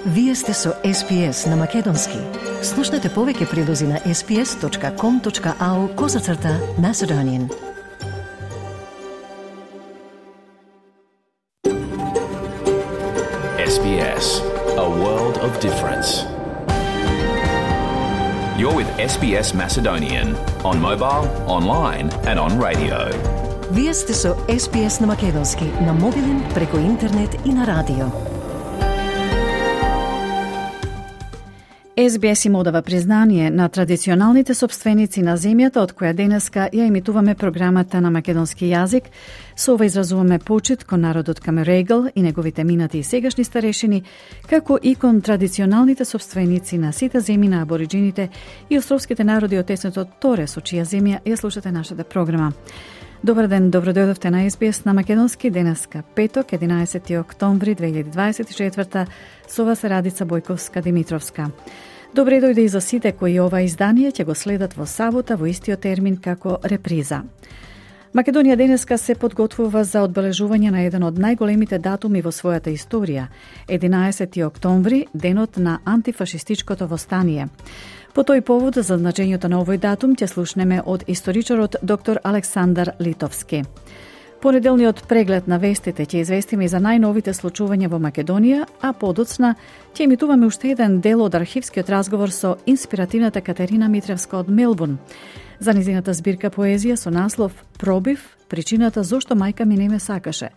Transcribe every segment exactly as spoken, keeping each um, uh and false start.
Вие сте со Ес Би Ес на Македонски. Слушнете повеќе прилози на ес би ес точка ком точка ау козацрта Macedonian. Ес Би Ес, a world of difference. You're with Ес Би Ес Macedonian on mobile, online and on radio. Вие сте со Ес Би Ес на Македонски, на мобилен, преку интернет и на радио. Ес Би Ес им одава признание на традиционалните собственици на земјата од која денеска ја емитуваме програмата на македонски јазик. Со ова изразуваме почит кон народот Камерегл и неговите минати и сегашни старешини, како и кон традиционалните собственици на сите земји на абориджините и островските народи од тесното Торе, со чија земја ја слушате нашата програма. Добар ден, добродојдовте на Ес Би Ес на Македонски, денеска петок, единаесети октомври две илјади дваесет и четврта, со вас е Радица Бојковска-Димитровска. Добре дојде и за сите кои ова издание ќе го следат во сабота во истиот термин како реприза. Македонија денеска се подготвува за одбележување на еден од најголемите датуми во својата историја, единаесети октомври, денот на антифашистичкото востание. По тој повод, за значењето на овој датум ќе слушнеме од историчарот доктор Александар Литовски. Понеделниот преглед на вестите ќе известиме и за најновите случувања во Македонија, а подоцна ќе емитуваме уште еден дел од архивскиот разговор со инспиративната Катерина Митревска од Мелбурн за низината збирка поезија со наслов «Пробив, причината зошто мајка ми не ме сакаше»,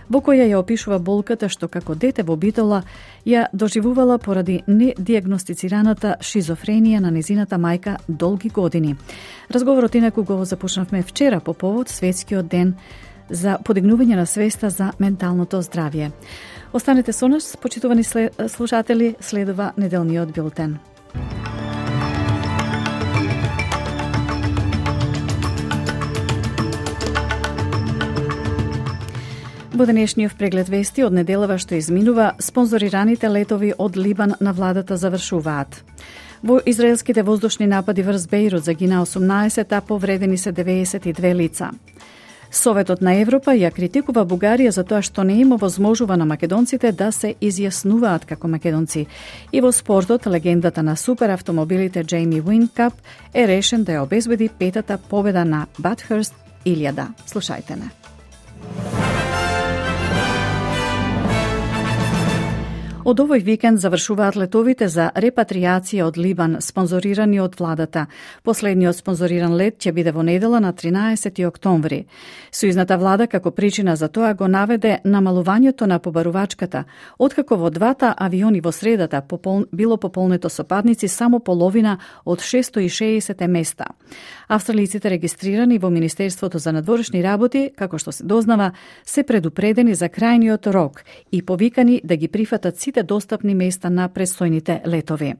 во која ја опишува болката што како дете во Битола ја доживувала поради недиагностицираната шизофренија на низината мајка долги години. Разговорот инаку го започнавме вчера по повод Светскиот ден за подигнување на свеста за менталното здравје. Останете со нас, почитувани слушатели, следува неделниот билтен. Во денешниот преглед вести од неделава што изминува, спонзорираните летови од Либан на владата завршуваат. Во израелските воздушни напади врз Бејрут загина осумнаесет, а повредени се деветдесет и две лица. Советот на Европа ја критикува Бугарија за тоа што не им овозможува на македонците да се изјаснуваат како македонци. И во спортот, легендата на суперавтомобилите Джейми Уинкап е решен да ја обезбеди петата победа на Батхърст илјада. Слушајте не. Од овој викенд завршуваат летовите за репатријација од Либан, спонзорирани од владата. Последниот спонзориран лет ќе биде во недела на тринаесети октомври. Сојузната влада како причина за тоа го наведе намалувањето на побарувачката, откако во двата авиони во средата попол... било пополнето со патници само половина од шестстотини и шеесет места. Австралиците регистрирани во Министерството за надворешни работи, како што се дознава, се предупредени за крајниот рок и повикани да ги прифатат сите достапни места на предстојните летови.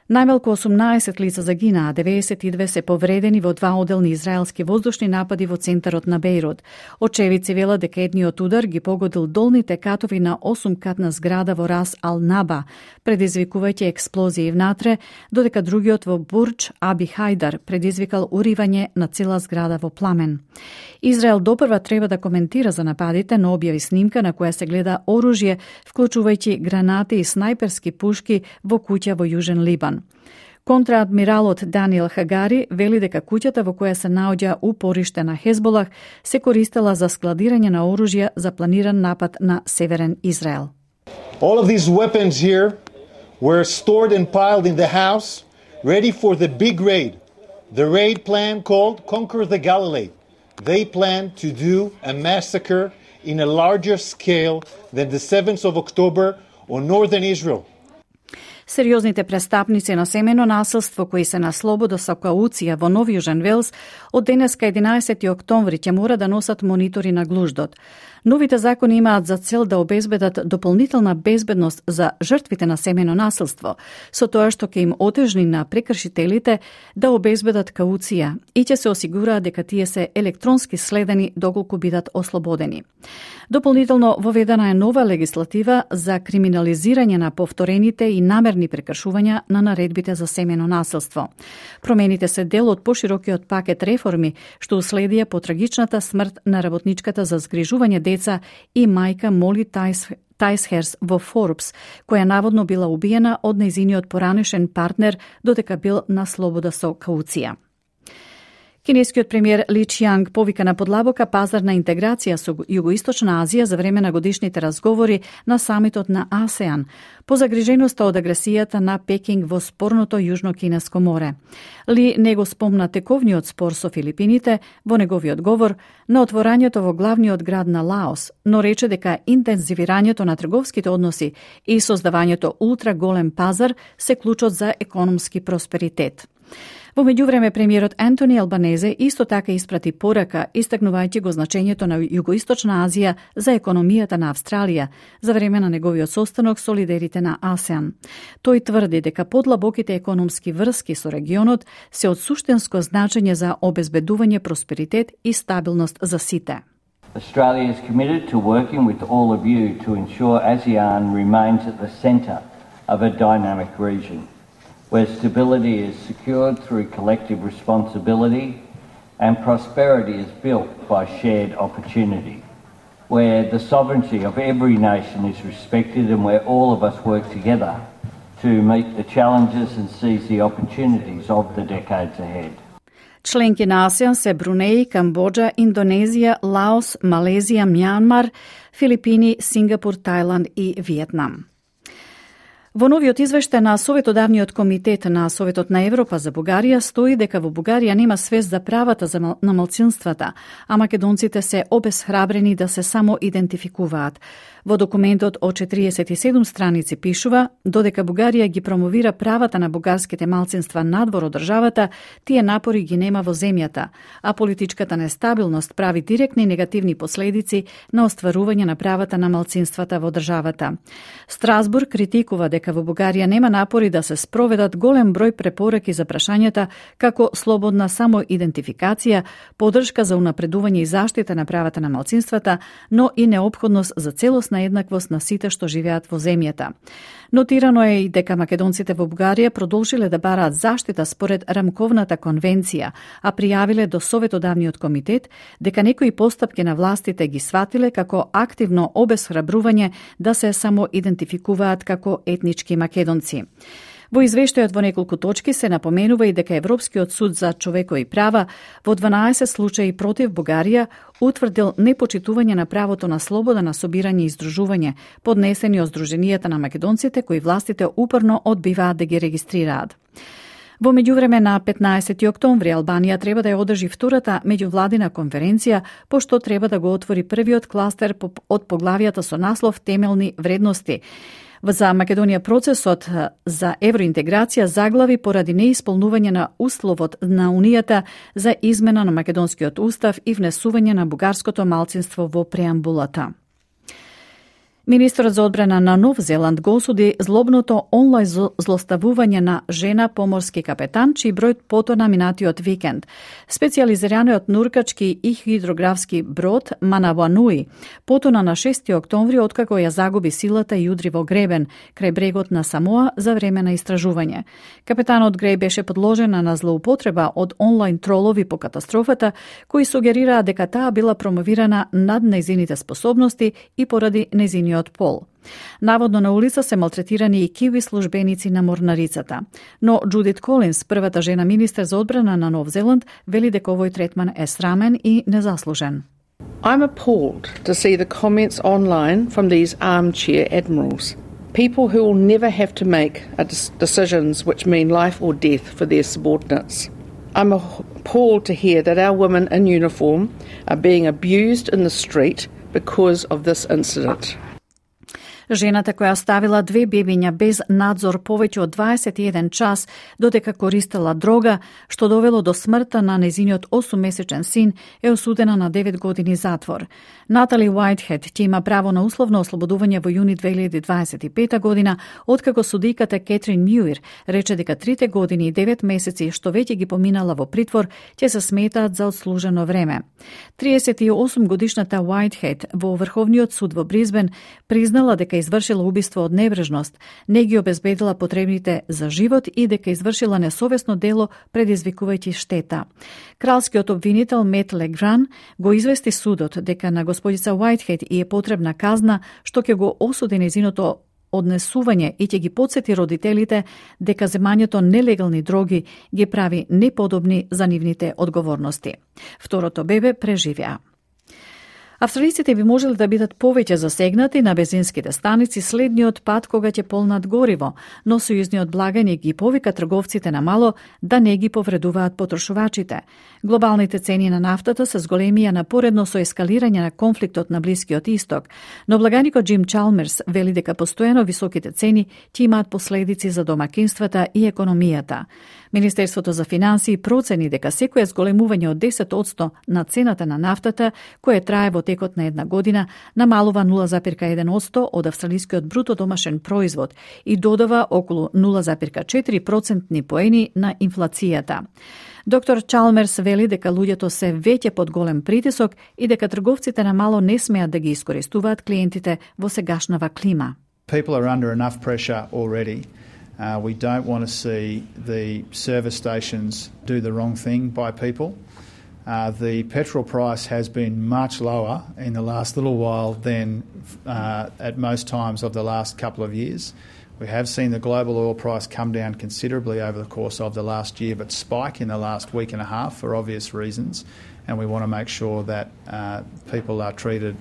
Најмалку осумнаесет лица загинаа, деветдесет и две се повредени во два оделни израелски воздушни напади во центарот на Бејрут. Очевидци велат дека едниот удар ги погодил долните катови на осумкатна зграда во Рас Ал Наба, предизвикувајќи експлозии внатре, додека другиот во Бурдж Аби Хајдар предизвикал уривање на цела зграда во пламен. Израел допрва треба да коментира за нападите, но објави снимка на која се гледа оружје, вклучувајќи гранати и снајперски пушки во куќа во Јужен Либан. Контраадмиралот Даниел Хагари вели дека куќата во која се наоѓа упориште на Хезболах се користела за складирање на оружје за планиран напад на Северен Израел. All of these weapons here were stored and piled in the house, ready for the big raid. The raid plan called Conquer the Galilee. They plan to do a massacre in a larger scale than the seventh of October on northern Israel. Сериозните престапници на семено насилство кои се на слобода со кауција во Нов Јужен Велс од денеска единаесети октомври ќе мора да носат монитори на глуждот. Новите закони имаат за цел да обезбедат дополнителна безбедност за жртвите на семено насилство, со тоа што ќе им отежни на прекршителите да обезбедат кауција и ќе се осигураат дека тие се електронски следени доколку бидат ослободени. Дополнително воведена е нова легислатива за криминализирање на повторените и намерни прекршувања на наредбите за семено насилство. Промените се дел од поширокиот пакет реформи што уследија по трагичната смрт на работничката за згрижување деца и мајка Моли Тайс Тајсхерс во Forbes, која наводно била убиена од нејзиниот поранешен партнер додека бил на слобода со кауција. Кинескиот премиер Ли Чијанг повика на подлабока пазарна интеграција со Југоисточна Азија за време на годишните разговори на самитот на АСЕАН, по загриженоста од агресијата на Пекинг во спорното Јужно-Кинеско море. Ли не го спомна тековниот спор со Филипините во неговиот говор на отворањето во главниот град на Лаос, но рече дека интензивирањето на трговските односи и создавањето ултраголем пазар се клучот за економски просперитет. Во меѓувреме, премиерот Антони Албанезе исто така испрати порака, истакнувајќи го значењето на Југоисточна Азија за економијата на Австралија за време на неговиот состанок со лидерите на АСЕАН. Тој тврди дека подлабоките економски врски со регионот се од суштинско значење за обезбедување просперитет и стабилност за сите. Australia is committed to working with all of you to ensure ASEAN remains at the centre of a dynamic region, where stability is secured through collective responsibility and prosperity is built by shared opportunity, where the sovereignty of every nation is respected and where all of us work together to meet the challenges and seize the opportunities of the decades ahead. Членки на АСЕАН се Брунеј, Камбоџа, Индонезија, Лаос, Малезија, Мјанмар, Филипини, Сингапур, Тајланд и Виетнам. Во новиот извештај на Советодавниот комитет на Советот на Европа за Бугарија стои дека во Бугарија нема свест за правата за мал... на малцинствата, а македонците се обесхрабрени да се само идентификуваат. Во документот од четириесет и седум страници пишува, додека Бугарија ги промовира правата на бугарските малцинства надвор од државата, тие напори ги нема во земјата, а политичката нестабилност прави директни негативни последици на остварување на правата на малцинствата во државата. Страсбург критикува дека во Бугарија нема напори да се спроведат голем број препораки за прашањата како слободна самоидентификација, поддршка за унапредување и заштита на правата на малцинствата, но и неопходност за целосна еднаквост на сите што живеат во земјата. Нотирано е и дека македонците во Бугарија продолжиле да бараат заштита според Рамковната конвенција, а пријавиле до Советодавниот комитет дека некои постапки на властите ги сватиле како активно обесхрабрување да се самоидентификуваат како етнички македонци. Во извештајот во неколку точки се напоменува и дека Европскиот суд за човекови права во дванаесет случаи против Бугарија утврдил непочитување на правото на слобода на собирање и издружување, поднесени од Сдруженијата на македонците кои властите упорно одбиваат да ги регистрираат. Во меѓувреме на петнаесети октомври Албанија треба да ја одржи втората меѓувладина конференција, пошто треба да го отвори првиот кластер од поглавијата со наслов Темелни вредности. За Македонија процесот за евроинтеграција заглави поради неисполнување на условот на Унијата за измена на македонскиот устав и внесување на бугарското малцинство во преамбулата. Министерот за одбрана на Нов Зеланд го осуди злобното онлайн злоставување на жена поморски капетан, чиј број потона минатиот викенд. Специјализираниот нуркачки и хидрографски брод Манавануи потона на шести октомври откако ја загуби силата и удри во гребен крај брегот на Самоа за време на истражување. Капетанот Греј беше подложена на злоупотреба од онлайн тролови по катастрофата, кои сугерираа дека таа била промовирана над нејзините способности и поради нејзиниот пол. Наводно на улица се малтретирани и киви службеници на морнарицата. Но Джудит Колинс, првата жена министер за одбрана на Нов Зеланд, вели дека овој третман е срамен и незаслужен. I'm appalled to see the comments online from these armchair admirals. People who will never have to make decisions which mean life or death for their subordinates. I'm appalled to hear that our women in uniform are being abused in the street because of this incident. Жената која оставила две бебиња без надзор повеќе од дваесет и еден час додека користела дрога, што довело до смртта на незиниот осуммесечен син, е осудена на девет години затвор. Натали Уајтхед ќе има право на условно ослободување во јуни две илјади дваесет и пета година, откако судиката Кетрин Мјуир рече дека трите години и девет месеци што веќе ги поминала во притвор ќе се сметаат за одслужено време. триесет и осум годишната Уајтхед во Врховниот суд во Бризбен признала дека извршила убиство од небрежност, не ги обезбедила потребните за живот и дека извршила несовесно дело предизвикувајќи штета. Кралскиот обвинител Мет Легран го извести судот дека на господица Уајтхед и е потребна казна што ќе го осуди незиното однесување и ќе ги подсети родителите дека земањето нелегални дроги ги прави неподобни за нивните одговорности. Второто бебе преживеа. Австралиците би можели да бидат повеќе засегнати на бензинските станици следниот пат кога ќе полнат гориво, но сојузниот благаник ги повика трговците на мало да не ги повредуваат потрошувачите. Глобалните цени на нафтата се зголемија напоредно со ескалирање на конфликтот на Блискиот Исток, но благаникот Джим Чалмерс вели дека постојано високите цени ќе имаат последици за домакинствата и економијата. Министерството за финансии процени дека секое зголемување од десет одсто на цената на нафтата, кое трае во текот на една година, намалува нула зарез еден одсто од австралискиот бруто домашен производ и додава околу нула зарез четири процентни поени на инфлацијата. Доктор Чалмерс вели дека луѓето се веќе под голем притисок и дека трговците на мало не смеат да ги искористуваат клиентите во сегашнава клима. People are under enough pressure already. Uh, we don't want to see the service stations do the wrong thing by people. Uh, the petrol price has been much lower in the last little while than uh, at most times of the last couple of years. We have seen the global oil price come down considerably over the course of the last year, but spike in the last week and a half for obvious reasons, and we want to make sure that uh, people are treated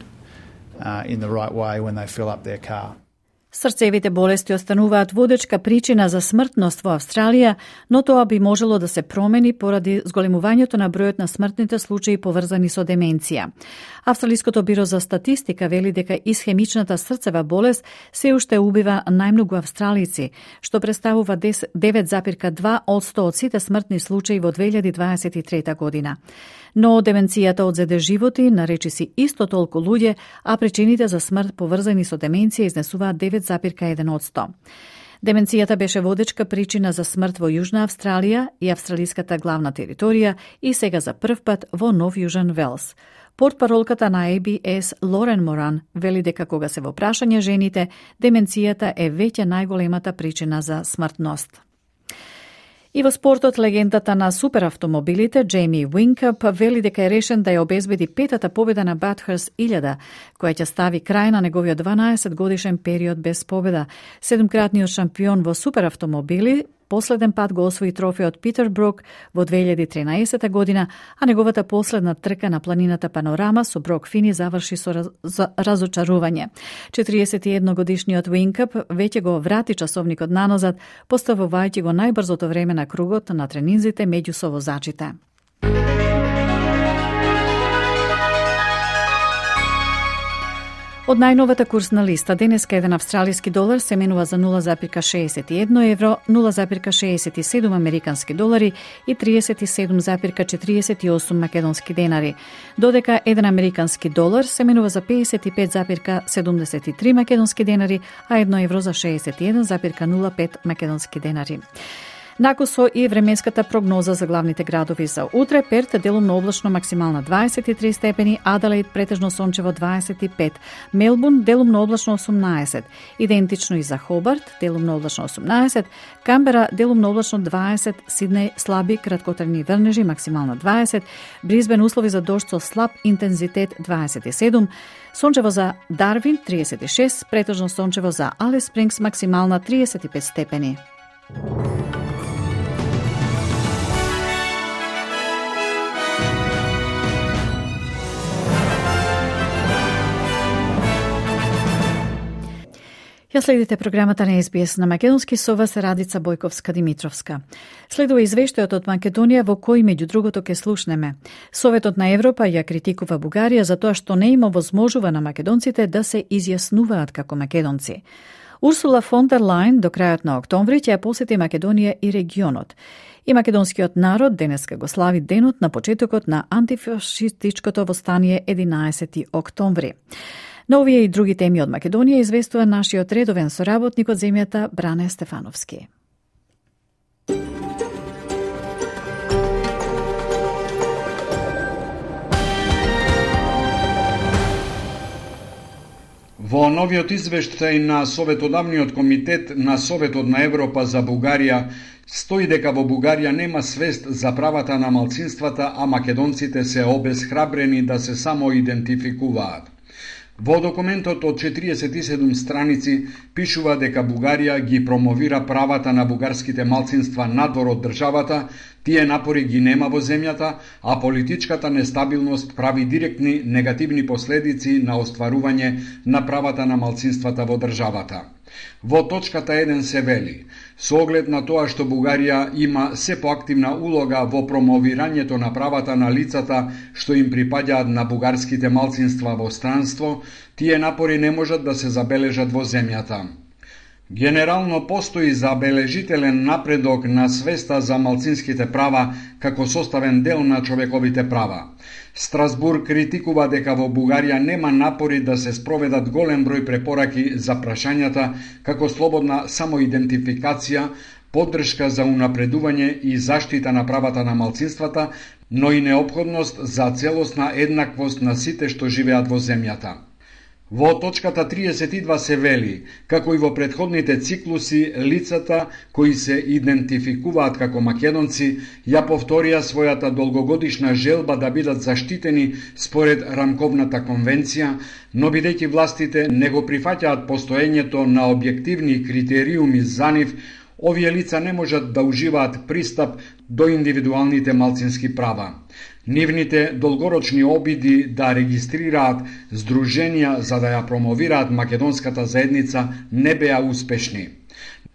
uh, in the right way when they fill up their car. Срцевите болести остануваат водечка причина за смртност во Австралија, но тоа би можело да се промени поради зголемувањето на бројот на смртните случаи поврзани со деменција. Австралиското биро за статистика вели дека исхемичната срцева болест се уште убива најмногу австралици, што представува девет зарез два одсто од сите смртни случаи во две илјади дваесет и трета година. Но деменцијата одзеде животи на речиси исто толку луѓе, а причините за смрт поврзани со деменција изнесуваат девет зарез еден одсто. Деменцијата беше водечка причина за смрт во Јужна Австралија и австралиската главна територија и сега за прв пат во Нов Јужен Велс. Портпаролката на А Б С Лорен Моран вели дека кога се во прашање жените, деменцијата е веќе најголемата причина за смртност. И во спортот, легендата на суперавтомобилите Джейми Уинкъп вели дека е решен да ја обезбеди петата победа на Bathurst илјада, која ќе стави крај на неговиот дванаесет годишен период без победа. Седумкратниот шампион во суперавтомобили последен пат го освои трофеот Питербрук во две илјади тринаесета година, а неговата последна трка на планината Панорама со Брок Фини заврши со раз, разочарување. четириесет и едногодишниот Уинкъп веќе го врати часовникот наназад, поставувајќи го најбрзото време на кругот на тренинзите меѓу совозачите. Од најновата курсна листа, денеска еден австралиски долар се менува за нула зарез шеесет и едно евро, нула зарез шеесет и седум американски долари и триесет и седум зарез четириесет и осум македонски денари, додека еден американски долар се менува за пеесет и пет зарез седумдесет и три македонски денари, а едно евро за шеесет и еден зарез нула пет македонски денари. Накусо и временската прогноза за главните градови за утре: Перт делумно облачно максимална дваесет и три степени, Аделаид претежно сончево дваесет и пет, Мелбурн делумно облачно осумнаесет, идентично и за Хобарт делумно облачно осумнаесет, Камбера делумно облачно дваесет, Сиднеј слаби краткотрajни врнежи максимална дваесет, Брисбен услови за дожд со слаб интензитет дваесет и седум, сончево за Дарвин триесет и шест, претежно сончево за Алис Спрингс максимална триесет и пет степени. Ја следите програмата на Ес Би Ес на македонски, со вас Радица Бојковска-Димитровска. Следува извештајот од Македонија во кој меѓу другото ке слушнеме. Советот на Европа ја критикува Бугарија за тоа што не има возможува на македонците да се изјаснуваат како македонци. Урсула фон дер Лајн до крајот на октомври ќе ја посети Македонија и регионот. И македонскиот народ денеска го слави денот на почетокот на антифашистичкото востание единаесети октомври. На овие и други теми од Македонија известува нашиот редовен соработник од земјата Бране Стефановски. Во новиот извештај на Советодавниот комитет на Советот на Европа за Бугарија стои дека во Бугарија нема свест за правата на малцинствата, а македонците се обесхрабрени да се само идентификуваат. Во документот од четириесет и седум страници пишува дека Бугарија ги промовира правата на бугарските малцинства надвор од државата, тие напори ги нема во земјата, а политичката нестабилност прави директни негативни последици на остварување на правата на малцинствата во државата. Во точката еден се вели: со оглед на тоа што Бугарија има се поактивна улога во промовирањето на правата на лицата што им припаѓаат на бугарските малцинства во странство, тие напори не можат да се забележат во земјата. Генерално постои забележителен напредок на свеста за малцинските права како составен дел на човековите права. Страсбург критикува дека во Бугарија нема напори да се спроведат голем број препораки за прашањата како слободна самоидентификација, поддршка за унапредување и заштита на правата на малцинствата, но и неопходност за целосна еднаквост на сите што живеат во земјата. Во точката триесет и два се вели: како и во претходните циклуси, лицата кои се идентификуваат како македонци ја повторија својата долгогодишна желба да бидат заштитени според рамковната конвенција, но бидејќи властите не го прифаќаат постоењето на објективни критериуми за нив, овие лица не можат да уживаат пристап до индивидуалните малцински права. Нивните долгорочни обиди да регистрираат здруженија за да ја промовираат македонската заедница не беа успешни.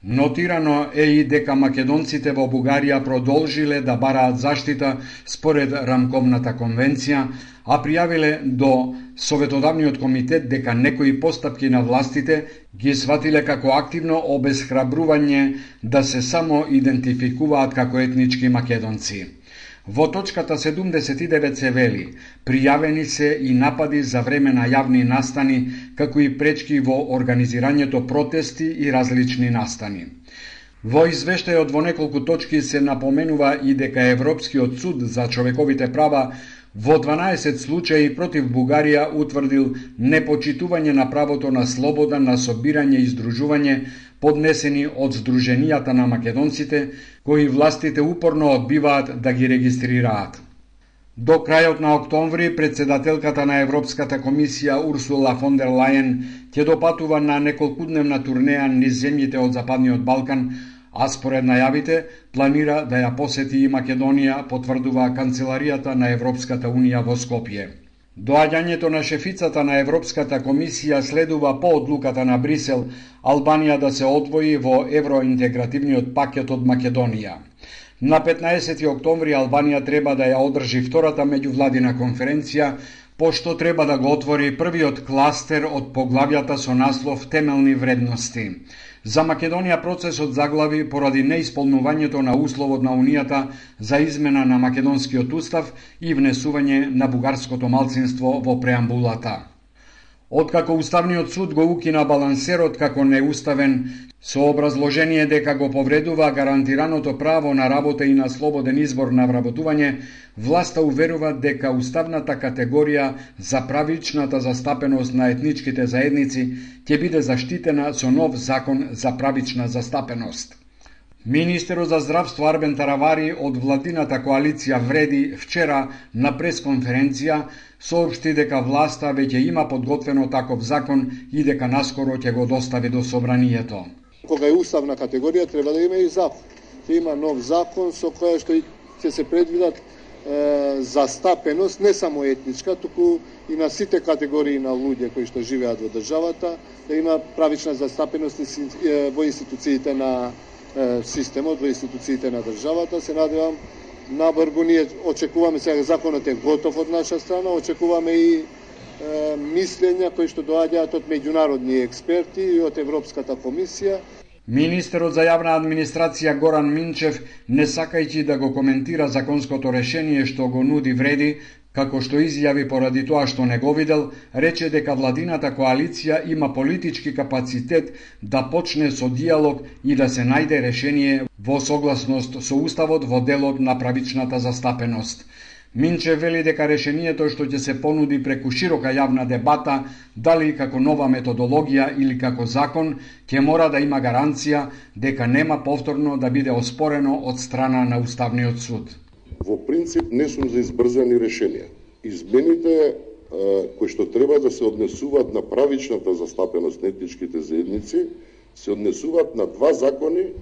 Нотирано е и дека македонците во Бугарија продолжиле да бараат заштита според рамковната конвенција, а пријавиле до Советодавниот комитет дека некои постапки на властите ги сватиле како активно обесхрабрување да се само идентификуваат како етнички македонци. Во точката седумдесет и девет се вели: пријавени се и напади за време на јавни настани, како и пречки во организирањето протести и различни настани. Во извештајот во неколку точки се напоменува и дека Европскиот суд за човековите права во дванаесет случаи против Бугарија утврдил непочитување на правото на слобода на собирање и здружување, поднесени од здруженијата на македонците, кои властите упорно одбиваат да ги регистрираат. До крајот на октомври, председателката на Европската комисија Урсула фон дер Лајен ќе допатува на неколкудневна турнеја низ земјите од Западниот Балкан, а според најавите планира да ја посети и Македонија, потврдува канцеларијата на Европската унија во Скопје. Доаѓањето на шефицата на Европската комисија следува по одлуката на Брисел Албанија да се одвои во евроинтегративниот пакет од Македонија. На петнаесети октомври Албанија треба да ја одржи втората меѓувладина конференција, пошто треба да го отвори првиот кластер од поглавјата со наслов Темелни вредности. За Македонија процесот заглави поради неисполнувањето на условот на Унијата за измена на македонскиот устав и внесување на бугарското малцинство во преамбулата. Откако Уставниот суд го укина балансерот како неуставен, со образложение дека го повредува гарантираното право на работа и на слободен избор на вработување, власта уверува дека уставната категорија за правичната застапеност на етничките заедници ќе биде заштитена со нов закон за правична застапеност. Министерот за здравство Арбен Таравари од владината коалиција Вреди вчера на пресконференција соопшти дека власта веќе има подготвено таков закон и дека наскоро ќе го достави до собранието. Кога е уставна категорија треба да има и закон. Ќе има нов закон со кој што ќе се предвидат е, застапеност не само етничка, туку и на сите категории на луѓе кои што живеат во државата, да има правична застапеност во институциите на е, системот, во институциите на државата. Се надевам набрзо, ние очекуваме, сега законот е готов од наша страна, очекуваме и е, мислења кои што доаѓаат од меѓународни експерти и од Европската комисија. Министерот за јавна администрација Горан Минчев, не сакајќи да го коментира законското решение што го нуди Вреди, како што изјави поради тоа што не го видел, рече дека владината коалиција има политички капацитет да почне со диалог и да се најде решение во согласност со Уставот во делот на правичната застапеност. Минчев вели дека решението што ќе се понуди преку широка јавна дебата, дали како нова методологија или како закон, ќе мора да има гаранција дека нема повторно да биде оспорено од страна на Уставниот суд. Во принцип не сум за избрзани решенија. Измените кои што треба да се однесуваат на правичната застапеност на етничките заедници, се однесуваат на два закони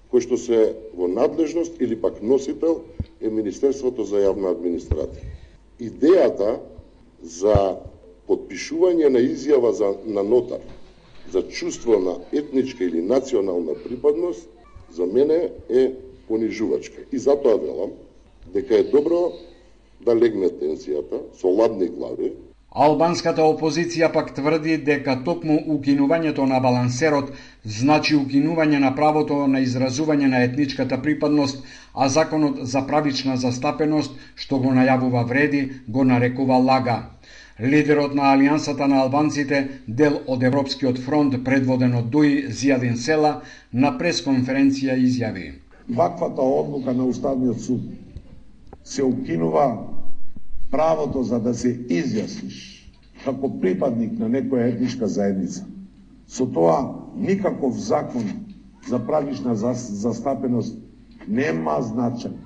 кои што се во надлежност или пак носител е Министерството за јавна администрација. Идејата за подпишување на изјава за, на нотар за чувство на етничка или национална припадност за мене е понижувачка. И затоа велам дека е добро да легне тензијата со ладни глави. Албанската опозиција пак тврди дека токму укинувањето на балансерот значи укинување на правото на изразување на етничката припадност, а законот за правична застапеност, што го најавува Вреди, го нарекува лага. Лидерот на Алијансата на албанците, дел од Европскиот фронт предводен од Дуи Зијадин Села, на пресконференција изјави: Ваквата одлука на Уставниот суд се укинува правото за да се изјасниш како припадник на некоја етничка заедница. Со тоа никаков закон за правична застапеност нема значање.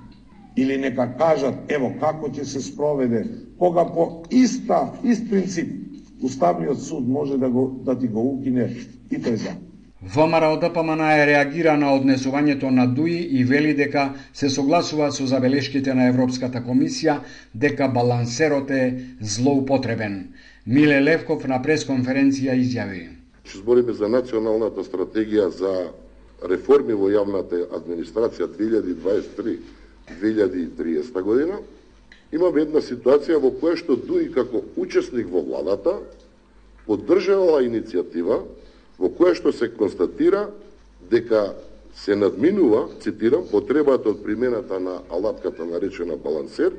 Или нека кажат, ево како ќе се спроведе, кога по иста, ист принцип Уставниот суд може да, го, да ти го укине и тој закон. ВМРО ДПМН е реагира на однесувањето на Дуи и вели дека се согласува со забелешките на Европската комисија дека балансерот е злоупотребен. Миле Левков на пресконференција изјави: Ќе збориме за националната стратегија за реформи во јавната администрација две илјади дваесет и три до две илјади и триесета година. Имаме една ситуација во која што Дуи како учесник во владата поддржала иницијатива во која што се констатира дека се надминува, цитирам, потребата од примената на алатката наречена балансер,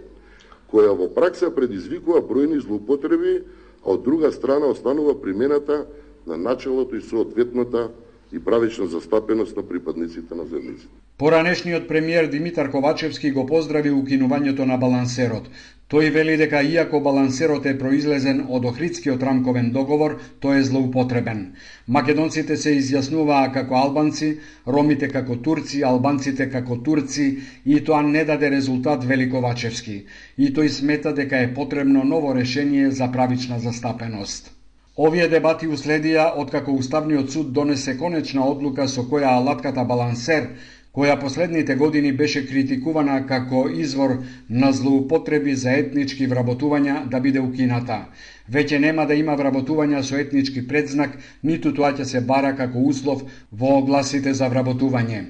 која во пракса предизвикува бројни злоупотреби, а од друга страна останува примената на начелото и соодветната и правична застапеност на припадниците на заедниците. Поранешниот премиер Димитар Ковачевски го поздрави укинувањето на балансерот. Тој вели дека иако балансерот е произлезен од Охридскиот рамковен договор, тој е злоупотребен. Македонците се изјаснуваа како албанци, ромите како турци, албанците како турци и тоа не даде резултат, вели Ковачевски. И тој смета дека е потребно ново решение за правична застапеност. Овие дебати уследија откако Уставниот суд донесе конечна одлука со која алатката балансер, која последните години беше критикувана како извор на злоупотреби за етнички вработувања, да биде укината. Веќе нема да има вработувања со етнички предзнак, ниту тоа ќе се бара како услов во огласите за вработување.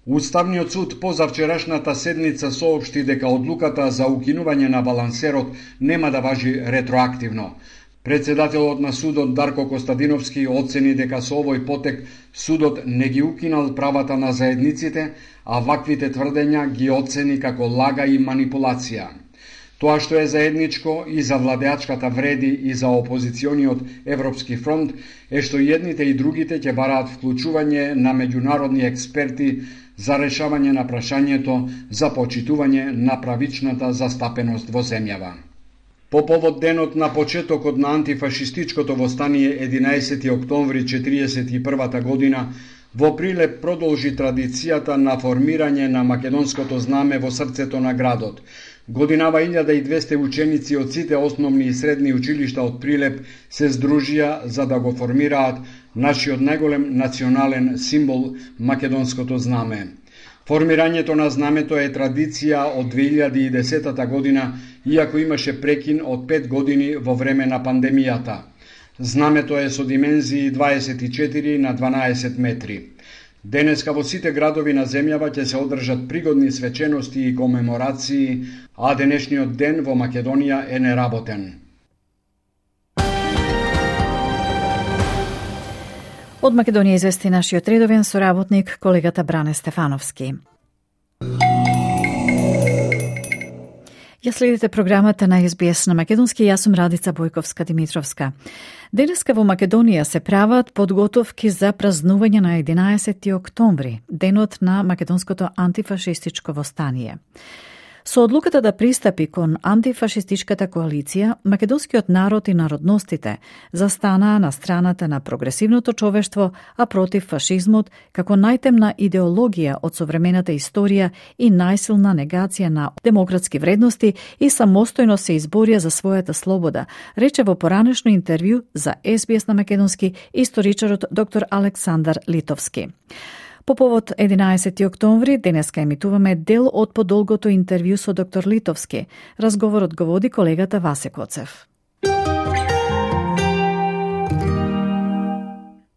Уставниот суд позавчерашната седница соопшти дека одлуката за укинување на балансерот нема да важи ретроактивно. Председателот на судот Дарко Костадиновски оцени дека со овој потек судот не ги укинал правата на заедниците, а ваквите тврдења ги оцени како лага и манипулација. Тоа што е заедничко и за владеачката Вреди и за опозициониот Европски фронт е што едните и другите ќе бараат вклучување на меѓународни експерти за решавање на прашањето за почитување на правичната застапеност во земјава. По повод денот на почетокот на антифашистичкото востание единаесети октомври четириесет и првата година, во Прилеп продолжи традицијата на формирање на македонското знаме во срцето на градот. Годинава илјада и двесте ученици од сите основни и средни училишта од Прилеп се здружија за да го формираат нашиот најголем национален символ, македонското знаме. Формирањето на знамето е традиција од две илјади и десета година, иако имаше прекин од пет години во време на пандемијата. Знамето е со димензии дваесет и четири на дванаесет метри. Денеска во сите градови на земјава ќе се одржат пригодни свечености и комеморации, а денешниот ден во Македонија е неработен. Од Македонија извести нашиот редовен соработник, колегата Бране Стефановски. Ја следите програмата на Ес Би Ес на македонски, јас сум Радица Бојковска-Димитровска. Денеска во Македонија се прават подготовки за празнување на единаесети октомври, денот на македонското антифашистичко востание. Со одлуката да пристапи кон антифашистичката коалиција, македонскиот народ и народностите застанаа на страната на прогресивното човештво, а против фашизмот како најтемна идеологија од современата историја и најсилна негација на демократски вредности и самостојно се изборија за својата слобода, рече во поранешно интервју за Ес Би Ес на македонски историчарот доктор Александар Литовски. По повод единаесети октомври, денеска емитуваме дел од подолгото интервју со доктор Литовски. Разговорот го води колегата Васе Коцев.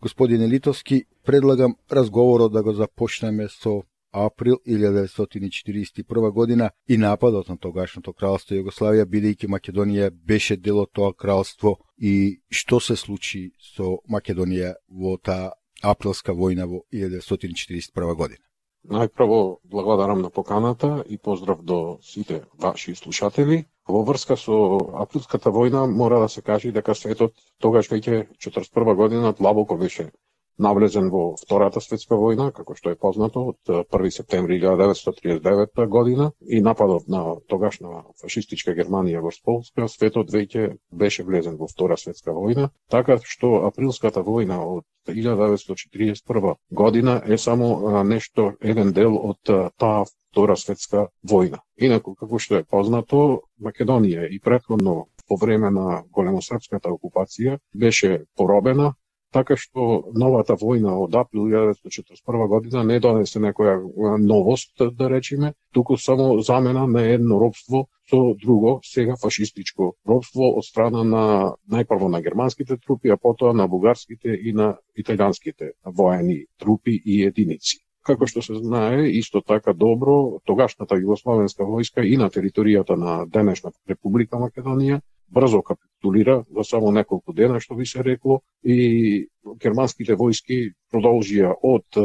Господине Литовски, предлагам разговорот да го започнеме со април илјада деветстотини и четириесет и прва година и нападот на тогашното кралство Југославија, бидејќи Македонија беше дел од тоа кралство, и што се случи со Македонија во таа априлска војна во илјада деветстотини и четириесет и прва година. Најпрво благодарам на поканата и поздрав до сите ваши слушатели. Во врска со априлската војна мора да се каже дека светот тогаш веќе четридесет и прва година длабоко беше навлезен во Втората светска војна, како што е познато, од први септември илјада деветстотини триесет и девета година и нападот на тогашна фашистичка Германија во Полска, светот веќе беше влезен во Втора светска војна, така што априлската војна од илјада деветстотини четириесет и прва година е само нешто, еден дел од таа Втора светска војна. Инаку, како што е познато, Македонија и претходно по време на големосрпската окупација беше поробена, така што новата војна од април илјада деветстотини четиридесет и прва година не донесе некоја новост, да речеме, туку само замена на едно робство со друго, сега фашистичко робство од страна на најпрво на германските трупи, а потоа на бугарските и на италијанските воени трупи и единици. Како што се знае, исто така добро, тогашната југословенска војска и на територијата на денешна Република Македонија брзо капитулира за само неколку дена, што би се рекло, и германските војски продолжија од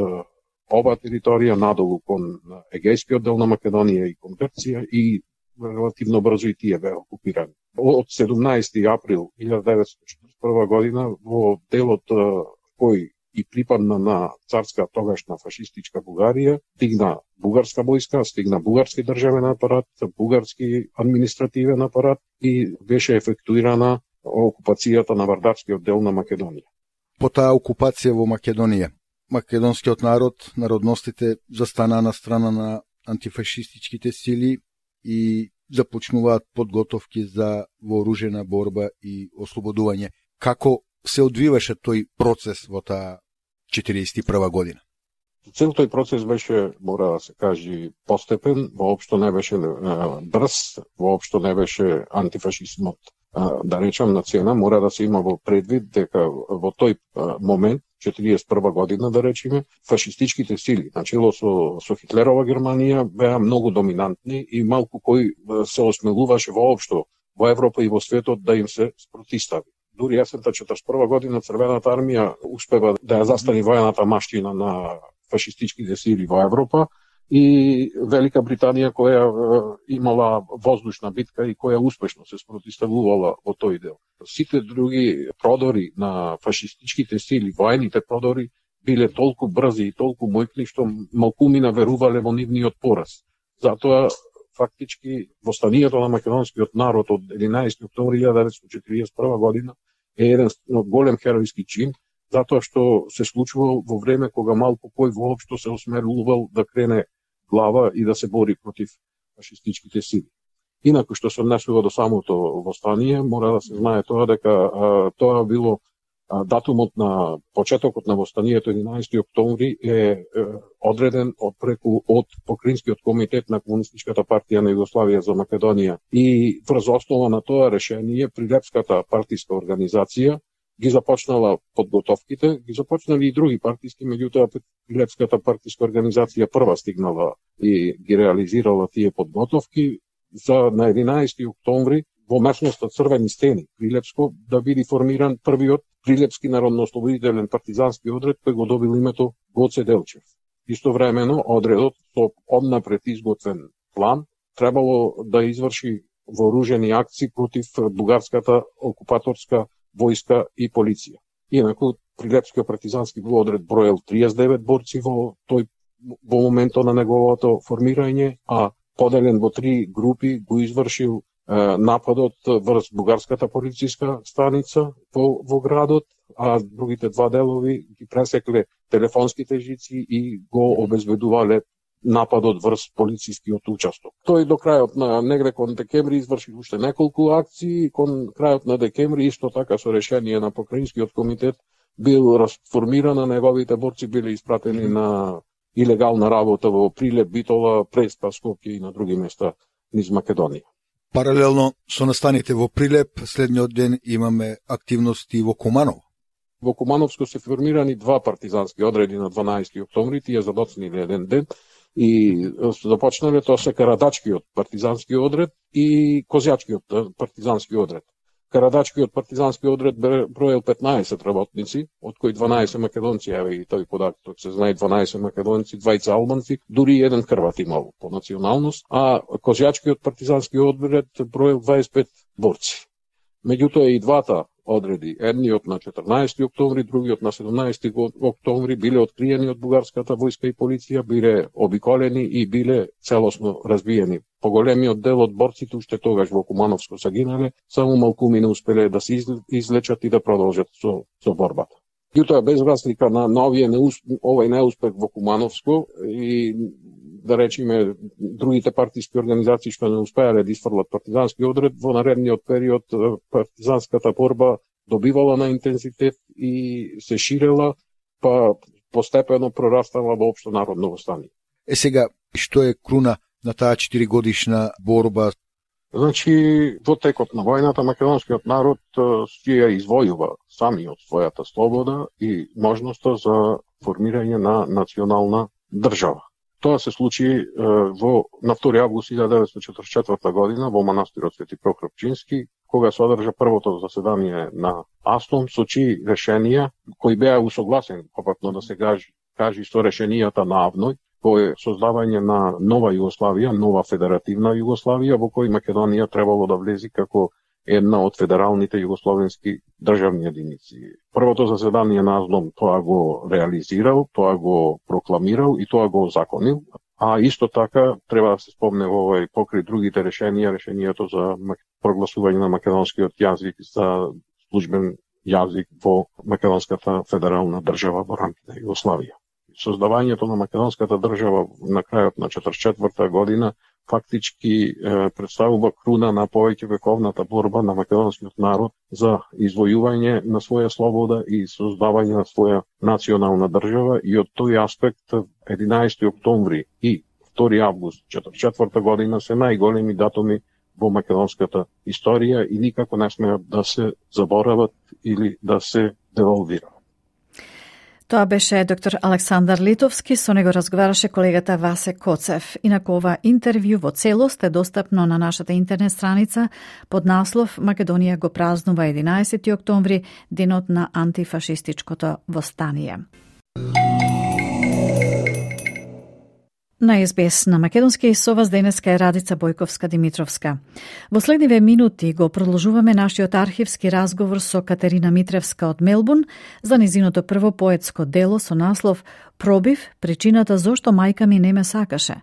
ова територија надолу кон егејскиот дел на Македонија и кон Грција, и релативно брзо и тие беа окупирани. Од седумнаесети април илјада деветстотини четиридесет и прва година во делот кој и припадна на царска тогашна фашистичка Бугарија, стигна бугарска војска, стигна бугарски државен апарат, бугарски административен апарат и беше ефектуирана окупацијата на вардарскиот дел на Македонија. По таа окупација во Македонија, македонскиот народ, народностите застанаа на страна на антифашистичките сили и започнуваат подготовки за вооружена борба и ослободување. Како се одвиваше тој процес во таа четириесет и прва година? Цел тој процес беше, мора да се каже, постепен, воопшто не беше брз, воопшто не беше антифашизмот, да речам, на цена. Мора да се има во предвид дека во тој момент, четириесет и прва година, да речеме, фашистичките сили, начело со, со Хитлерова Германија, беа многу доминантни и малку кој се осмелуваше воопшто во Европа и во светот да им се спротистави. Дури есента четридесет и прва година Црвената армија успева да ја застани војната маштина на фашистичките сили во Европа и Велика Британија, која имала воздушна битка и која успешно се спротиставувала во тој дел. Сите други продори на фашистичките сили, воените продори, биле толку брзи и толку мојкни што малкумина верувале во нивниот пораз. Затоа фактички востанието на македонскиот народ од единаесети октомври илјада деветстотини четириесет и прва година е еден голем херојски чин, затоа што се случувал во време кога малку кој воопшто се осмелувал да крене глава и да се бори против фашистичките сили. Инаку што се однесува до самото востание, мора да се знае тоа дека а, тоа било а, датумот на почетокот на востанието единаесети октомври е, е одреден од преку од Покринскиот комитет на Комунистичката партија на Југославија за Македонија и врз основа на тоа решение Прилепската партиска организација ги започнала подготовките, ги започнали и други партиски, меѓутоа Прилепската партиска организација прва стигнала и ги реализирала тие подготовки за на единаесети октомври во местноста Црвени стени, Прилепско, да биде формиран првиот Прилепски народно-ослободителен партизански одред кој го добил името Гоце Делчев. Истовремено, одредот со однапред изготвен план требало да изврши вооружени акции против бугарската окупаторска војска и полиција. Инаку, Прилепскиот партизански одред броел триесет и девет борци во тој во моментот на неговото формирање, а поделен во три групи, го извршил нападот врз бугарската полициска станица во, во градот, а другите два делови ги пресекле телефонските жици и го обезбедувале нападот врз полицискиот участок. Тој до крајот на негде кон декември изврши уште неколку акции, кон крајот на декември исто така со решение на покраинскиот комитет бил расформиран, неговите борци биле испратени на илегална работа во Прилеп, Битола, Преспа, Скопје и на други места низ Македонија. Паралелно со настаните во Прилеп, следниот ден имаме активности во Куманово. Во Кумановско се формирани два партизански одреди на дванаесети октомври, тие задоцниле еден ден и започнале тоа се Карадачкиот партизански одред и Козјачкиот партизански одред. Карадачкиот партизански одред броел петнаесет работници, од кои дванаесет македонци, еве и тој податок се знае, дванаесет македонци, двајца албанци, дури еден хрват имал по националност, а Козјачкиот партизански одред броел дваесет и пет борци. Меѓутоа и двата одреди, едниот на четрнаесети октомври, другиот на седумнаесети октомври, биле откриени од бугарската војска и полиција, биле обиколени и биле целосно разбиени. Поголемиот дел од борците уште тогаш во Кумановско загинале, само малкуми не успеле да се излечат и да продолжат со, со борбата. Меѓутоа, без разлика на, на овие неусп... овој неуспех во Кумановско и да речеме другите партиски организации што не успеале да изфрлат партизански одред, во наредниот период партизанската борба добивала на интензитет и се ширела, па постепено прорастала во општо народно востание. Е сега, што е круна на таа четиригодишна борба? Значи, во текот на војната македонскиот народ си ја извојува самиот својата слобода и можноста за формирање на национална држава. Тоа се случи е, во на втори август илјадесетстотини деветстотини четридесет и четврта година во манастирот Свети Прокопчински, кога се одржа првото заседание на АСТОМ со чии решенија кои беа усогласени, попатно да се кажи, кажи со решенијата на АВНОј, кој е создавање на нова Југославија, нова федеративна Југославија, во кој Македонија требало да влези како една од федералните југословенски државни единици. Првото заседание на АСДОМ тоа го реализирал, тоа го прокламирал и тоа го озаконил, а исто така треба да се спомне во овој покри другите решенија, решението за прогласување на македонскиот јазик за службен јазик во македонската федерална држава во рамките на Југославија. Создавањето на македонската држава на крајот на четридесет и четврта година фактички е, представува круна на повеќе вековната борба на македонскиот народ за извојување на своја слобода и создавање на своја национална држава, и од тој аспект единаесети октомври и втори август четридесет и четврта година се најголеми датуми во македонската историја и никако не смеат да се заборават или да се девалвираат. Тоа беше доктор Александар Литовски, со него разговараше колегата Васе Коцев. Инаку ова интервју во целост е достапно на нашата интернет страница под наслов Македонија го празнува единаесети октомври, денот на антифашистичкото востание. На Ес Би Ес на македонски со вас денеска е Радица Бојковска-Димитровска. Во следниве минути го продолжуваме нашиот архивски разговор со Катерина Митревска од Мелбурн за низиното прво поетско дело со наслов Пробив, причината зошто мајка ми не ме сакаше,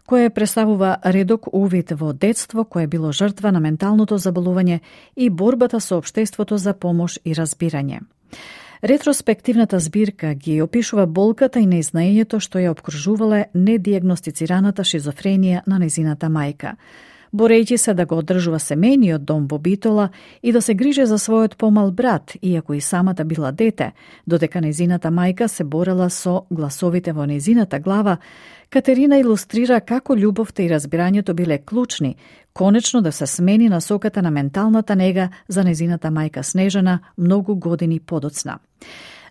кое представува редок увид во детство кое било жртва на менталното заболување и борбата со општеството за помош и разбирање. Ретроспективната збирка ги опишува болката и неизнаењето што ја обкружувале недиагностицираната шизофренија на незината мајка. Борејќи се да го одржува семејниот дом во Битола и да се грижи за својот помал брат, иако и самата била дете, додека незината мајка се борела со гласовите во незината глава, Катерина илустрира како љубовта и разбирањето биле клучни, конечно да се смени насоката на менталната нега за незината мајка Снежана многу години подоцна.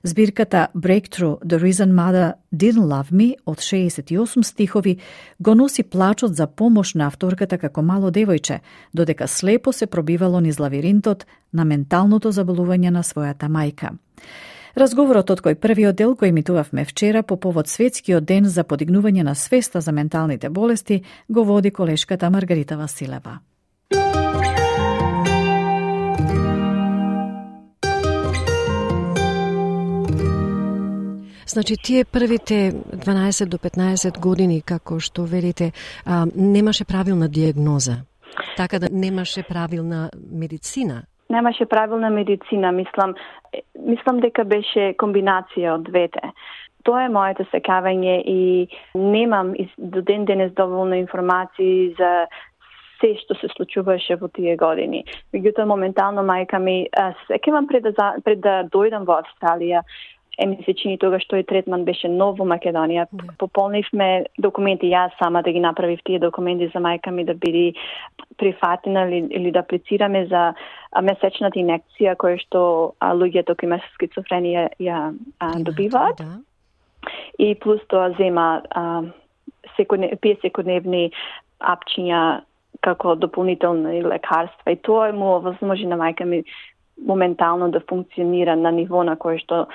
Збирката Breakthrough, The Reason Mother Didn't Love Me од шеесет и осум стихови го носи плачот за помош на авторката како мало девојче, додека слепо се пробивало низ лавиринтот на менталното заболување на својата мајка. Разговорот од кој првиот дел кој емитувавме вчера по повод Светскиот ден за подигнување на свеста за менталните болести го води колешката Маргарита Василева. Значи, тие првите дванаесет до петнаесет години, како што велите, а, немаше правилна диагноза. Така да немаше правилна медицина. Немаше правилна медицина, мислам, мислам дека беше комбинација од двете. Тоа е моето секавање и немам до ден денес доволно информации за се што се случуваше во тие години. Меѓутоа, моментално мајка ми, сеќавам пред да, пред да дојдам во Австралија, е ми се чини тогаш тој третман беше нов во Македонија. Yeah. Пополнивме документи, јас сама да ги направив тие документи за мајка ми да биде прифатена или, или да аплицираме за месечната инекција која што а, луѓето кои имаат скицофренија ја а, добиваат. Да. И плюс тоа зема а, секојне, пие секојдневни апчиња како дополнителни лекарства. И тоа му овозможи на мајка ми моментално да функционира на ниво на кое што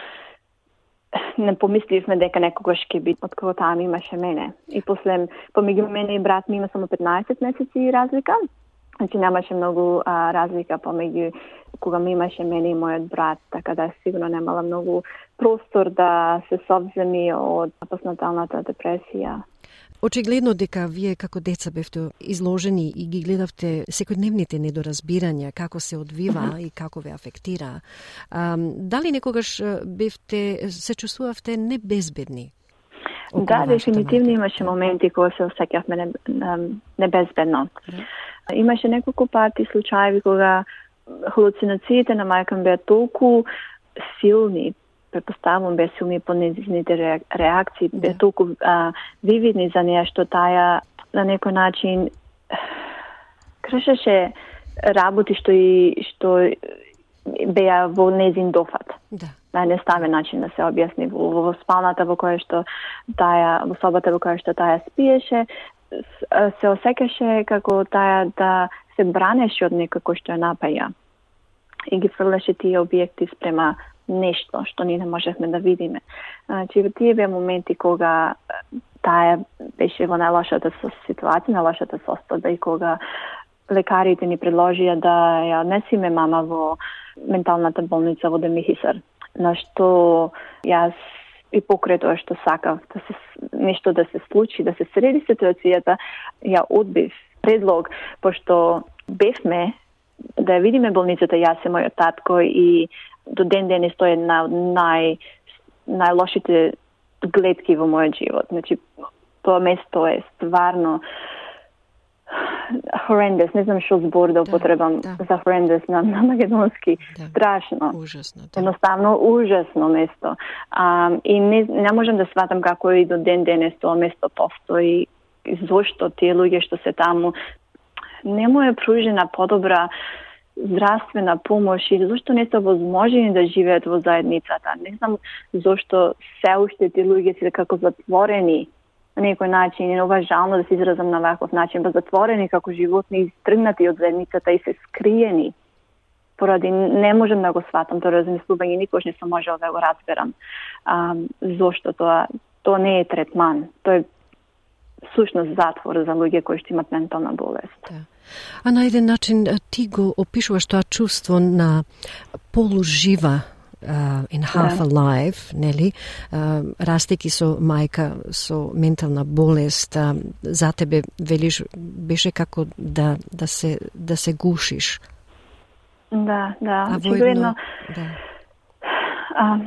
не помисливме дека некогаш ќе би од кога таа ми имаше мене. И после, помеѓу мене и брат ми има само петнаесет месеци разлика. Значи немаше многу а, разлика помеѓу кога ми имаше мене и мојот брат, така да сигурно немала многу простор да се совземи од постнаталната депресија. Очигледно дека вие како деца бевте изложени и ги гледавте секојдневните недоразбирања, како се одвива mm-hmm. и како ве афектира. А, дали некогаш бевте, се чувствувавте небезбедни? Да, дефинитивно имаше моменти кога се осеќавме не, небезбедно. Yeah. Имаше неколку пати случаи кога халуцинациите на мајка ми беа толку силни, предпоставувам бе силни по незините реакции, бе да. толку а, вивидни за неја, што таја на некој начин кршеше работи што и што беа во незин дофат. Да. На неставен начин да се објасни во, во спалната во која што таја, во собата во која што таја спиеше, се осеќаше како таја да се бранеше од некој кој што ја напаја. И ги фрлеше тие објекти спрема нешто што ние не можевме да видиме. Значи, во тие беа моменти кога таја беше во најлошата ситуација, најлошата состојба и кога лекарите ни предложија да ја однесиме мама во менталната болница во Демихисар. На што јас и покрај тоа што сакав да се нешто да се случи, да се среди ситуацијата, ја одбив предлог, пошто бевме да ја видиме болницата, јас и мојот татко, и до ден денес тоа е една од нај, најлошите гледки во мојот живот. Значи, тоа место е стварно horrendous, не знам што збор да употребам да, да. за horrendous на, на македонски. Да. Страшно. Ужасно. Да. Едноставно ужасно место. А, и не, не можам да сватам како и до ден денес тоа место постои. Зошто тие луѓе што се таму не му е пружена подобра здравствена помош и зашто не се возможени да живеат во заедницата. Не знам зашто се уште тие луѓе се како затворени на некој начин, и неуважално да се изразам на ваков начин, ба затворени како животни, истргнати од заедницата и се скриени. Поради не можам да го сватам тоа размислување, никош не сум можел да го разберам. А, зошто тоа? Тоа не е третман. Тоа е сушност затвор за луѓе кои што имат ментална болест. Да. А на еден начин ти го опишуваш тоа чувство на полужива, uh, in half да. alive, нели? Uh, растејќи со мајка со ментална болест, uh, за тебе велиш беше како да да се да се гушиш. Да, да. А воедно, да. А,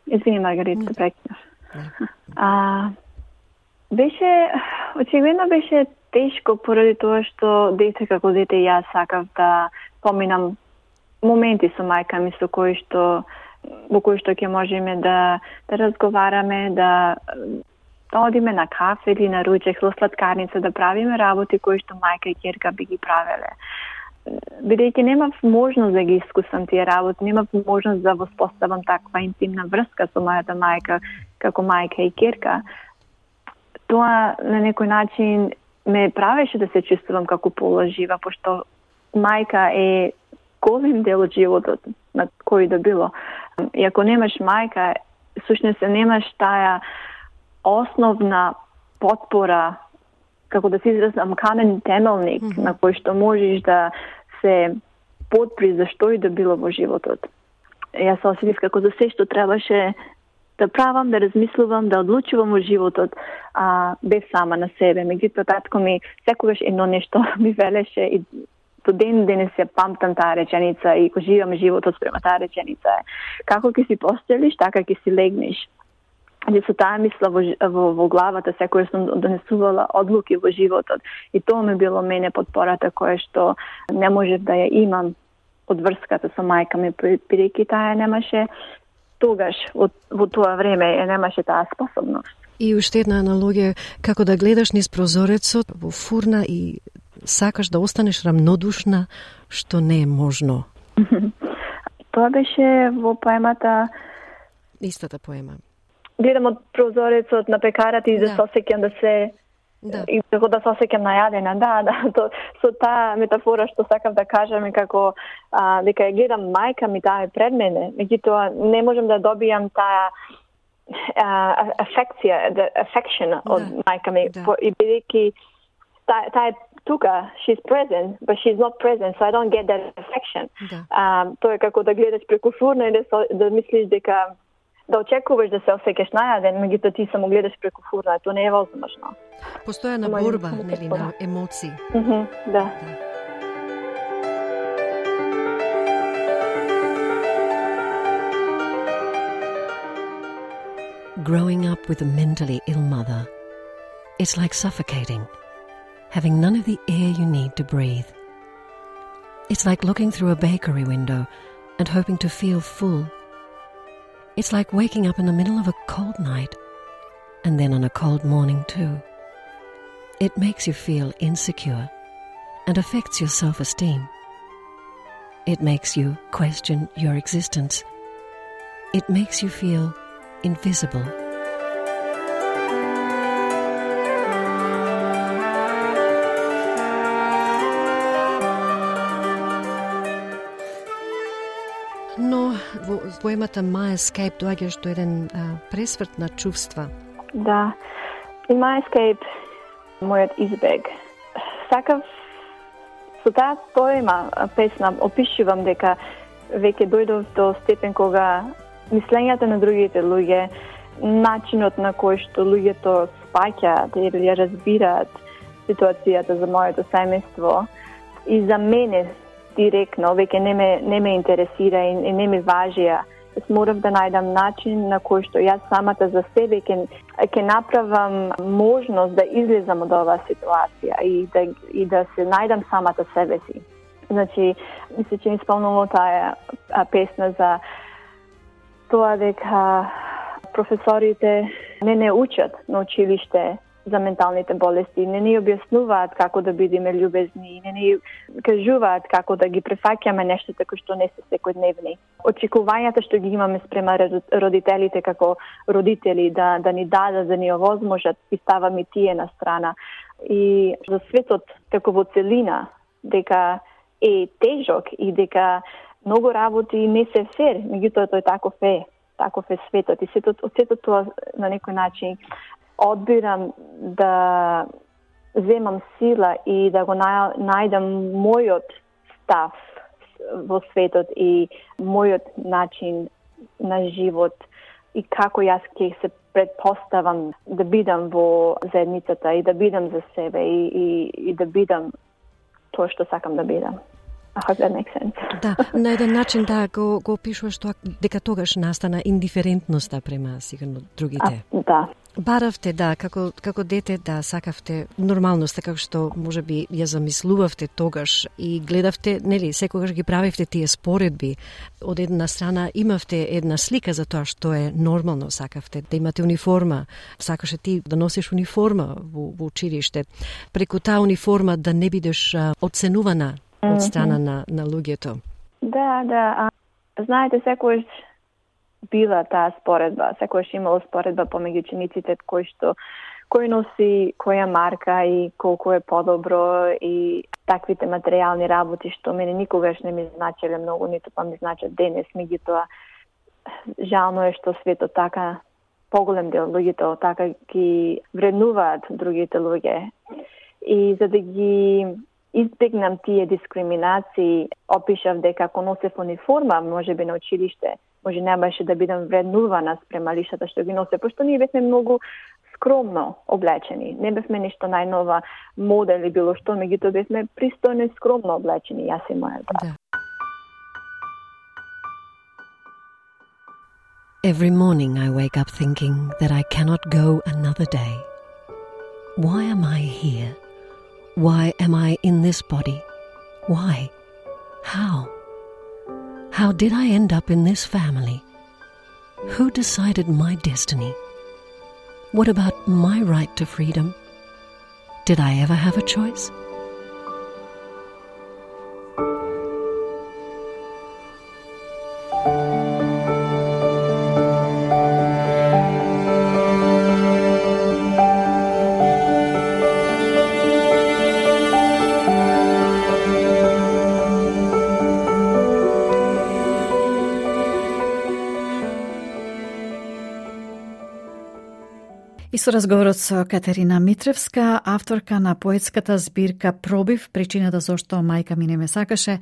извини, Маргарита, да прекинав. Да. А, беше, очигледно беше тешко поради тоа што дете како дете јас сакав да поминам моменти со мајка ми со кои што во кои што ќе можеме да да разговараме, да да одиме на кафе или на ручек во сладкарница, да правиме работи кои што мајка и ќерка би ги правеле. Бидејќи немав можност да ги искусам тие работи, немав можност да воспоставам таква интимна врска со мојата мајка како мајка и ќерка, тоа на некој начин ме правеше да се чувствувам како полажива, пошто мајка е голем дел од животот на кој да било. И ако немаш мајка, сушност немаш таа основна потпора, како да се изразам, камен темелник, mm-hmm. на кој што можеш да се подпри за што и да било во животот. Јас се осетив како за се што требаше да правам, да размислувам, да одлучувам во животот, а, без сама на себе. Меѓутоа, татко ми секогаш едно нешто ми велеше и до ден денес ја памтам таа реченица и го живам животот спрема таа реченица е: како ќе си постелиш, така ќе си легнеш. И со таа мисла во, во, во главата секој сум донесувала одлуки во животот. И тоа ми било мене подпората која што не можев да ја имам од врската со мајка ми, бидејќи таа немаше тогаш, во, во тоа време, ја немаше таа способност. И уште една аналогија, како да гледаш низ прозорецот во фурна и сакаш да останеш рамнодушна, што не е можно. Тоа беше во поемата... Истата поема. Гледам од прозорецот на пекарата и да, да се осеќам да се... Да. И како да се осеќам најадена. Да, да, то, со таа метафора што сакав да кажам е како а, дека ја гледам мајка ми, таа е пред мене, меѓутоа не можам да добијам таа афекција, the affection да. Од мајка ми, да. И бидејќи таа е тука, she's present, but she's not present, so I don't get that affection. Да. Um, тоа е како да гледаш преку фурна и да, да мислиш дека да очекуваш да се осеќаш најаден, меѓутоа ти само гледаш преку фурна, тоа не е возможно. Постојана борба, нели, на емоции. Mm-hmm, да. да. Growing up with a mentally ill mother, it's like suffocating, having none of the air you need to breathe. It's like looking through a bakery window and hoping to feel full. It's like waking up in the middle of a cold night and then on a cold morning too. It makes you feel insecure and affects your self-esteem. It makes you question your existence. It makes you feel invisible. Но во поемата My Escape доаѓаш до еден а, пресврт на чувства. Да. In My Escape, мојот избег. Сакав со таа поема, песна, опишувам дека веќе дојдов до степен кога мислењата на другите луѓе, начинот на кој што луѓето спаќаат или ја разбираат ситуацијата за моето семејство и за мене директно веќе не ме не ме интересира и, и не ми важија. Морав да најдам начин на кој што јас самата за себе ќе ќе направам можност да излезам од оваа ситуација и да и да се најдам самата себе си. Значи, мисля че ми спомнало таа песна за тоа дека професорите не не учат на училиште за менталните болести, не ни објаснуваат како да бидеме љубезни, не ни кажуваат како да ги префаќаме нештата кои што не се секојдневни. Очекувањата што ги имаме спрема родителите како родители да да ни дадат, да ни овозможат, и ставаме тие на страна. И за светот како во целина дека е тежок и дека многу работи не се фер, меѓутоа тој таков е, таков е светот. И светот, од светот тоа на некој начин одбирам да земам сила и да го најдам мојот став во светот и мојот начин на живот и како јас ќе се предпоставам да бидам во заедницата и да бидам за себе и, и, и да бидам тоа што сакам да бидам. I hope that makes sense. Да, на еден начин да го, го опишуваш тоа дека тогаш настана индиферентноста према сигурно другите. А, да. Баравте, да, како, како дете, да, сакавте нормалност, како што можеби ја замислувавте тогаш и гледавте, нели, секогаш ги правевте тие споредби. Од една страна имавте една слика за тоа што е нормално, сакавте да имате униформа, сакаше ти да носиш униформа во, во училиште. Преку таа униформа да не бидеш а, оценувана од страна на, на луѓето. Да, да. А, знаете, секојаш била таа споредба, секојаш имало споредба помеѓу учениците кој што кој носи која марка и колку е подобро и таквите материјални работи што мене никогаш не ми значеле многу, ниту па ми значат денес, меѓутоа жално е што светот така поголем дел луѓето така ги вреднуваат другите луѓе. И за да ги избегнам тие дискриминации, опишав дека ако носев униформа, можеби на училиште, може не беше да бидам вреднувана спрема лиштата што ги носе, пошто ние бевме многу скромно облечени. Не бевме нешто најнова мода или било што, меѓутоа бевме пристојно и скромно облечени, јас и мојот брат. Да. Every morning I wake up thinking that I cannot go another day. Why am I here? Why am I in this body? Why? How? How did I end up in this family? Who decided my destiny? What about my right to freedom? Did I ever have a choice? И со разговорот со Катерина Митревска, авторка на поетската збирка Пробив, причината зашто мајка ми не ме сакаше,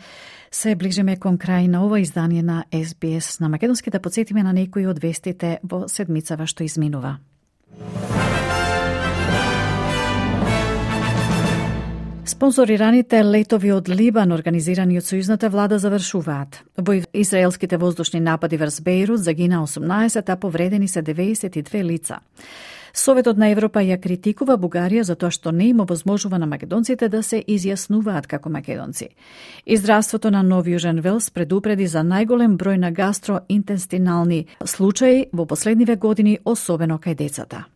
се ближиме кон крај на ова издание на Ес Би Ес на македонски, да подсетиме на некои од вестите во седмицава што изминува. Спонзорираните летови од Либан, организирани од сојузната влада, завршуваат. Во израелските воздушни напади врз Бејрут загина осумнаесет, а повредени се деветдесет и две лица. Советот на Европа ја критикува Бугарија за тоа што не им овозможува на македонците да се изјаснуваат како македонци. И здравството на Нов Јужен Велс предупреди за најголем број на гастроинтестинални случаи во последниве години, особено кај децата.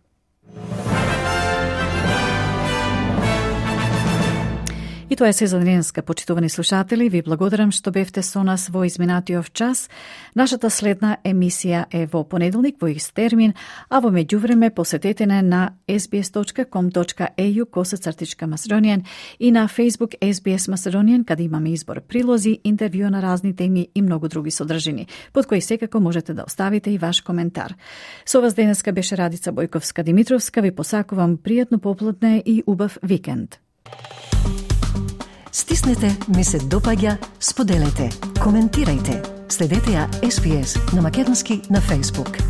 И тоа е се за денеска, почитувани слушатели. Ви благодарам што бевте со нас во изминатиот час. Нашата следна емисија е во понеделник во ист термин, а во меѓувреме посетете не на ес би ес точка ком точка е ю косацртичка Macedonian и на Facebook Ес Би Ес Macedonian, каде имаме избор прилози, интервју на разни теми и многу други содржини, под кои секако можете да оставите и ваш коментар. Со вас денеска беше Радица Бојковска-Димитровска. Ви посакувам пријатно попладне и убав викенд. Стиснете, ми се допаѓа, споделете, коментирајте. Следете ја Ес Би Ес на македонски на Facebook.